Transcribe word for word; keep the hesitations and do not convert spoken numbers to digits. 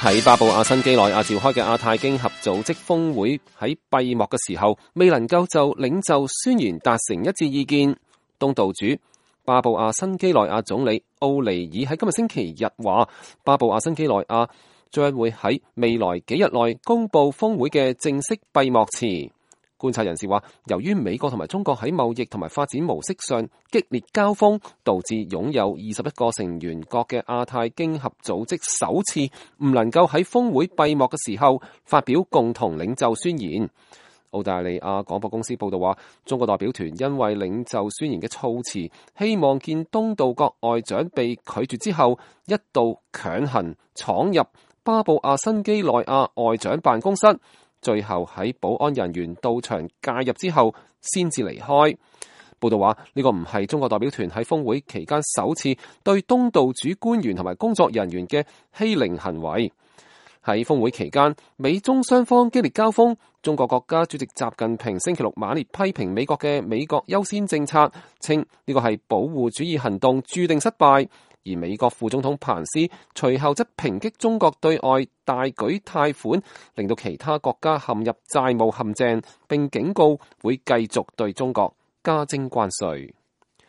喺巴布亞新畿內亞召開嘅亞太經合組織峰會喺閉幕嘅時候，未能夠就領袖宣言達成一致意見。東道主巴布亞新畿內亞總理奧尼爾喺今日星期日話，巴布亞新畿內亞將會喺未來幾日內公布峰會嘅正式閉幕詞。觀察人士話，由於美國同埋中國喺貿易同埋發展模式上激烈交鋒，導致擁有二十一個成員國嘅亞太經合組織首次唔能夠喺峰會閉幕嘅時候發表共同領袖宣言。澳大利亞廣播公司報道話，中國代表團因為領袖宣言嘅措辭，希望見東道國外長被拒絕之後，一度強行闖入巴布亞新畿內亞外長辦公室。最後喺保安人員到場介入之後，先至離開。報道話，呢個唔係中國代表團喺峰會期間首次對東道主官員同埋工作人員嘅欺凌行為。喺峰會期間，美中雙方激烈交鋒。中國國家主席習近平星期六猛烈批評美國嘅美國優先政策，稱呢個係保護主義行動注定失敗。而美國副總統彭斯隨後則抨擊中國對外大舉貸款，令到其他國家陷入債務陷阱，並警告會繼續對中國加徵關稅。